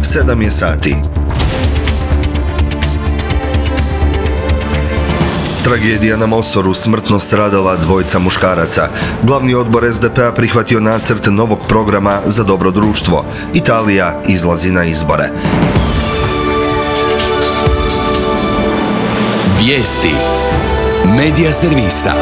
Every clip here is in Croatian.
7 je sati. Tragedija na Mosoru, smrtno stradala dvojica muškaraca. Glavni odbor SDP-a prihvatio nacrt novog programa za dobro društvo. Italija izlazi na izbore. Vijesti Medija servisa.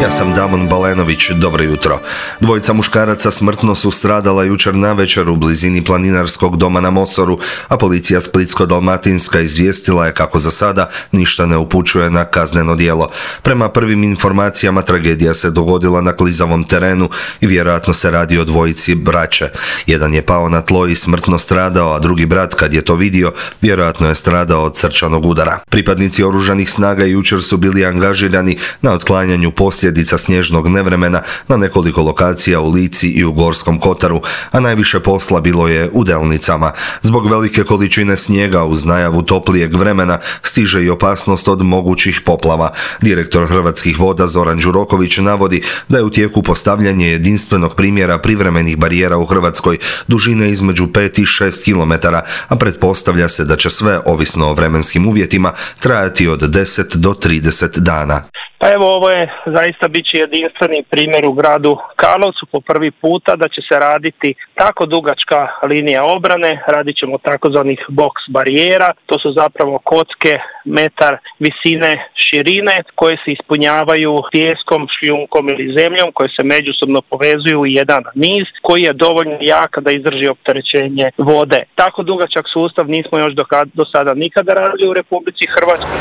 Ja sam Damon Balenović, dobro jutro. Dvojica muškaraca smrtno su stradala jučer navečer u blizini planinarskog doma na Mosoru, a policija Splitsko-dalmatinska izvijestila je kako za sada ništa ne upućuje na kazneno djelo. Prema prvim informacijama tragedija se dogodila na klizavom terenu i vjerojatno se radi o dvojici braće. Jedan je pao na tlo i smrtno stradao, a drugi brat, kad je to vidio, vjerojatno je stradao od srčanog udara. Pripadnici oružanih snaga jučer su bili angažirani na otklanjanju posljedica snježnog nevremena na nekoliko lokacija u Lici i u Gorskom Kotaru, a najviše posla bilo je u Delnicama. Zbog velike količine snijega uz najavu toplijeg vremena stiže i opasnost od mogućih poplava. Direktor Hrvatskih voda Zoran Đuroković navodi da je u tijeku postavljanje jedinstvenog primjera privremenih barijera u Hrvatskoj dužine između 5 i 6 km, a pretpostavlja se da će sve, ovisno o vremenskim uvjetima, trajati od 10 do 30 dana. Pa evo, ovo je zaista bit će jedinstveni primjer u gradu Karlovcu po prvi puta da će se raditi tako dugačka linija obrane, radit ćemo takozvanih box barijera, to su zapravo kocke metar visine širine koje se ispunjavaju pijeskom, šljunkom ili zemljom koje se međusobno povezuju u jedan niz koji je dovoljno jak da izdrži opterećenje vode. Tako dugačak sustav nismo još do sada nikada radili u Republici Hrvatskoj.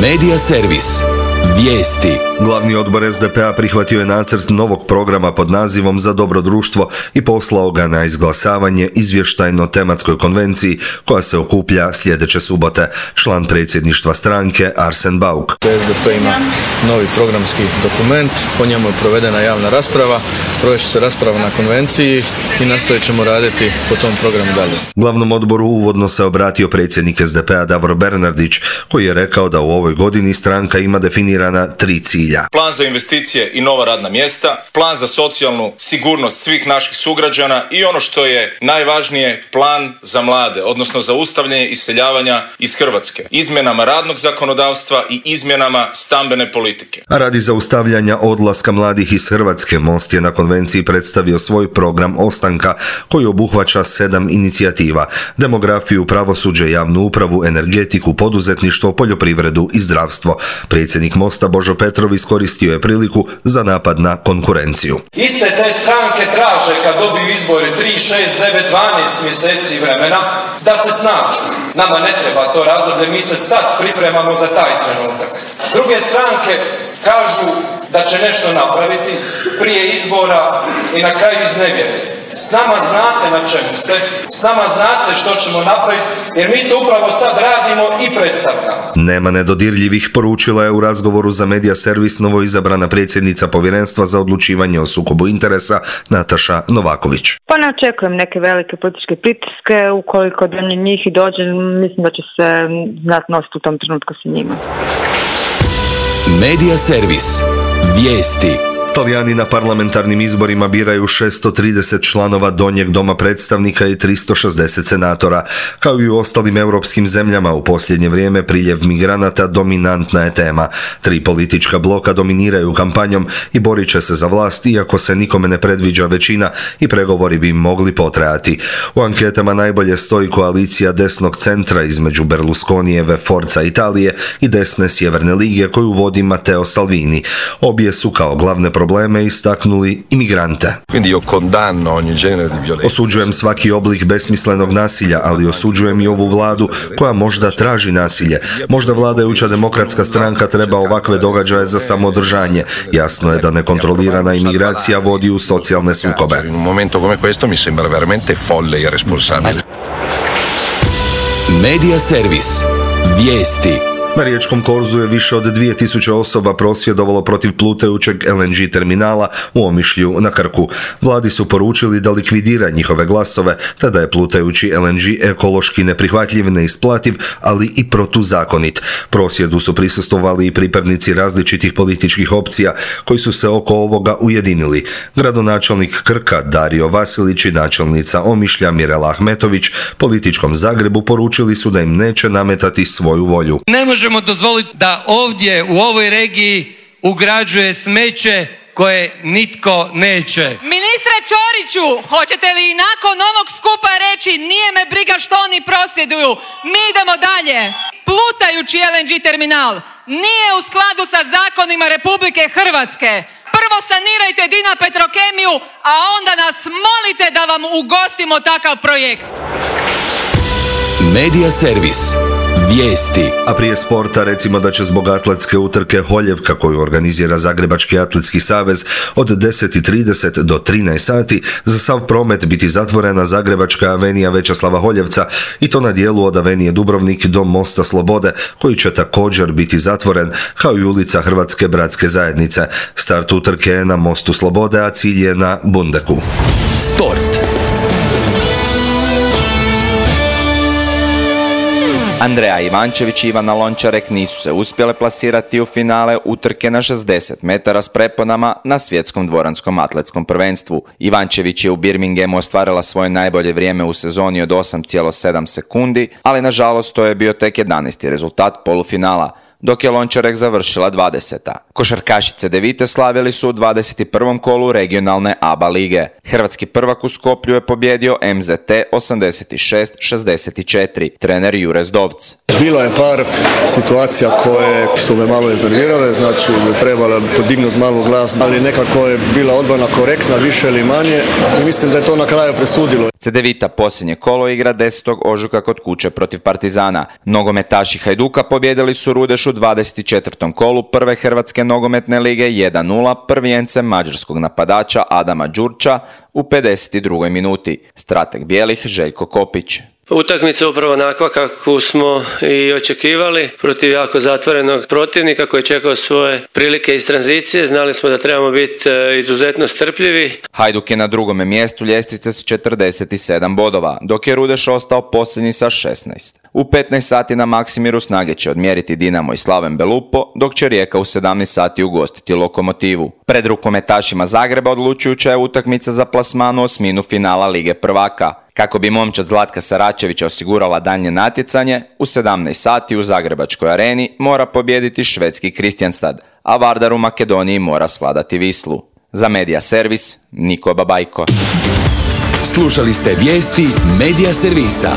Medija servis. Vijesti. Glavni odbor SDP-a prihvatio je nacrt novog programa pod nazivom Za dobro društvo i poslao ga na izglasavanje izvještajno-tematskoj konvenciji koja se okuplja sljedeće subote. Član predsjedništva stranke Arsen Bauk. SDP ima novi programski dokument, po njemu je provedena javna rasprava, provest će se rasprava na konvenciji i nastavit ćemo raditi po tom programu dalje. Glavnom odboru uvodno se obratio predsjednik SDP-a Davor Bernardić, koji je rekao da u ovoj godini stranka ima definirana 3 cilja. Plan za investicije i nova radna mjesta, plan za socijalnu sigurnost svih naših sugrađana i ono što je najvažnije, plan za mlade, odnosno zaustavljanje iseljavanja iz Hrvatske, izmjenama radnog zakonodavstva i izmjenama stambene politike. A radi zaustavljanja odlaska mladih iz Hrvatske, Most je na konvenciji predstavio svoj program ostanka koji obuhvaća 7 inicijativa: demografiju, pravosuđe, javnu upravu, energetiku, poduzetništvo, poljoprivredu i zdravstvo. Predsjednik Mosta Božo Petrov iskoristio je priliku za napad na konkurenciju. Iste te stranke traže kad dobiju izbore 3, 6, 9, 12 mjeseci vremena da se snađu. Nama ne treba to razdoblje, mi se sad pripremamo za taj trenutak. Druge stranke kažu da će nešto napraviti prije izbora i na kraju iznevjere. S nama znate na čemu ste, s nama znate što ćemo napraviti, jer mi to upravo sad radimo i predstavljamo. Nema nedodirljivih, poručila je u razgovoru za Medija servis novoizabrana predsjednica Povjerenstva za odlučivanje o sukobu interesa Nataša Novaković. Pa ne očekujem neke velike političke pritiske, ukoliko do njih i dođe, mislim da će se znati nositi u tom trenutku sa njima. Medija servis. Vijesti. Talijani na parlamentarnim izborima biraju 630 članova Donjeg doma predstavnika i 360 senatora. Kao i u ostalim europskim zemljama, u posljednje vrijeme priljev migranata dominantna je tema. 3 politička bloka dominiraju kampanjom i borit će se za vlast, iako se nikome ne predviđa većina i pregovori bi mogli potrajati. U anketama najbolje stoji koalicija desnog centra između Berlusconijeve Forza Italije i desne Sjeverne lige koju vodi Matteo Salvini. Obje su kao glavne probleme istaknuli imigrante. Osuđujem svaki oblik besmislenog nasilja, ali osuđujem i ovu vladu koja možda traži nasilje. Možda vladajuća demokratska stranka treba ovakve događaje za samoodržanje. Jasno je da nekontrolirana imigracija vodi u socijalne sukobe. Medija servis. Vijesti. Na riječkom korzu je više od 2000 osoba prosvjedovalo protiv plutajućeg LNG terminala u Omišlju na Krku. Vladi su poručili da likvidira njihove glasove, te da je plutajući LNG ekološki neprihvatljiv, neisplativ, ali i protuzakonit. Prosvjedu su prisustvovali i pripadnici različitih političkih opcija koji su se oko ovoga ujedinili. Gradonačelnik Krka Dario Vasilić i načelnica Omišlja Mirela Ahmetović političkom Zagrebu poručili su da im neće nametati svoju volju. Ne možemo dozvoliti da ovdje u ovoj regiji ugrađuje smeće koje nitko neće. Ministre Ćoriću, hoćete li nakon ovog skupa reći nije me briga što oni prosvjeduju, mi idemo dalje. Plutajući LNG terminal nije u skladu sa zakonima Republike Hrvatske. Prvo sanirajte Dina Petrokemiju, a onda nas molite da vam ugostimo takav projekt. Medija servis. Vijesti. A prije sporta recimo da će zbog atletske utrke Holjevka koju organizira Zagrebački atletski savez od 10:30 do 13 sati za sav promet biti zatvorena Zagrebačka avenija Večeslava Holjevca i to na dijelu od avenije Dubrovnik do Mosta Slobode koji će također biti zatvoren kao i ulica Hrvatske bratske zajednice. Start utrke je na Mostu Slobode, a cilj je na Bundeku. Sport. Andreja Ivančević i Ivana Lončarek nisu se uspjele plasirati u finale utrke na 60 metara s preponama na svjetskom dvoranskom atletskom prvenstvu. Ivančević je u Birminghamu ostvarila svoje najbolje vrijeme u sezoni od 8,7 sekundi, ali nažalost to je bio tek 11. rezultat polufinala, dok je Lončarek završila 20. Košarkašice Devite slavili su u 21. kolu regionalne ABA lige. Hrvatski prvak u Skoplju je pobjedio MZT 86-64, trener Jure Zdovc. Bilo je par situacija koje su me malo iznervirale, znači da trebalo podignuti malo glas, ali nekako je bila odbrana korektna, više ili manje i mislim da je to na kraju presudilo. Cedevita posljednje kolo igra 10. ožujka kod kuće protiv Partizana. Nogometaši Hajduka pobjedili su Rudeš u 24. kolu prve Hrvatske nogometne lige 1-0 prvijencem mađarskog napadača Adama Đurča u 52. minuti. Strateg bijelih Željko Kopić. Utakmica upravo onakva kako smo i očekivali, protiv jako zatvorenog protivnika koji je čekao svoje prilike iz tranzicije. Znali smo da trebamo biti izuzetno strpljivi. Hajduk je na drugome mjestu ljestvice s 47 bodova, dok je Rudeš ostao posljednji sa 16. U 15 sati na Maksimiru snage će odmjeriti Dinamo i Slaven Belupo, dok će Rijeka u 17 sati ugostiti Lokomotivu. Pred rukometašima Zagreba odlučujuća je utakmica za plasman u osminu finala Lige prvaka. Kako bi momčad Zlatka Saračevića osigurala daljnje natjecanje, u 17 sati u Zagrebačkoj areni mora pobijediti švedski Kristianstad, a Vardar u Makedoniji mora svladati Vislu. Za Medija servis, Niko Babajko. Slušali ste vijesti Medija servisa.